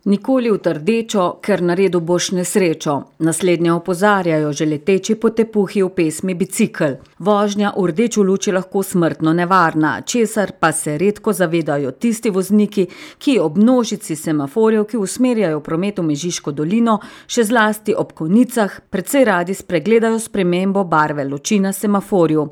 Nikoli v trdečo, ker naredil boš nesrečo. Naslednje opozarjajo že leteči po tepuhi v pesmi Bicikel. Vožnja v rdečo luč je lahko smrtno nevarna, česar pa se redko zavedajo tisti vozniki, ki ob množici semaforjev, ki usmerjajo promet v Mežiško dolino, še zlasti ob konicah, precej radi spregledajo spremembo barve luči na semaforju.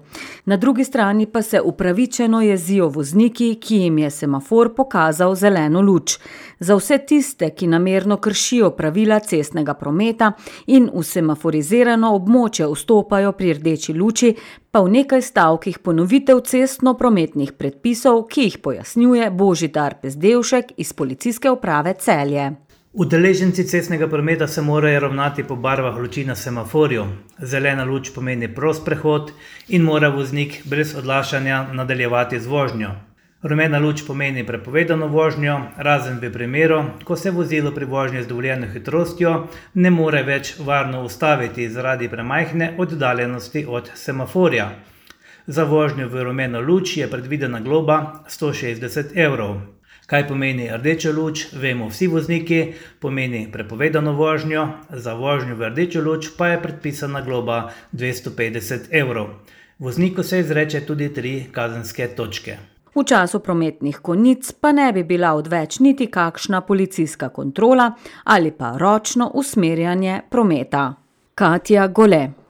Na drugi strani pa se upravičeno jezijo vozniki, ki jim je semafor pokazal zeleno luč. Za vse tiste, ki namerno kršijo pravila cestnega prometa in v semaforizirano območje vstopajo pri rdeči luči, pa v nekaj stavkih ponovitev cestno-prometnih predpisov, ki jih pojasnjuje Božidar Pezdevšek iz Policijske uprave Celje. Udeleženci cestnega prometa se morajo ravnati po barvah luči na semaforju. Zelena luč pomeni prost prehod in mora voznik brez odlašanja nadaljevati z vožnjo. Rumena luč pomeni prepovedano vožnjo, razen v primeru, ko se vozilo pri vožnji z dovoljeno hitrostjo ne more več varno ustaviti zaradi premajhne oddaljenosti od semaforja. Za vožnjo v rumeno luč je predvidena globa 160 evrov. Kaj pomeni rdeča luč, vemo vsi vozniki, pomeni prepovedano vožnjo, za vožnjo v rdečo luč pa je predpisana globa 250 evrov. Vozniku se izreče tudi 3 kazenske točke. V času prometnih konic pa ne bi bila odveč niti kakšna policijska kontrola ali pa ročno usmerjanje prometa. Katja Gole.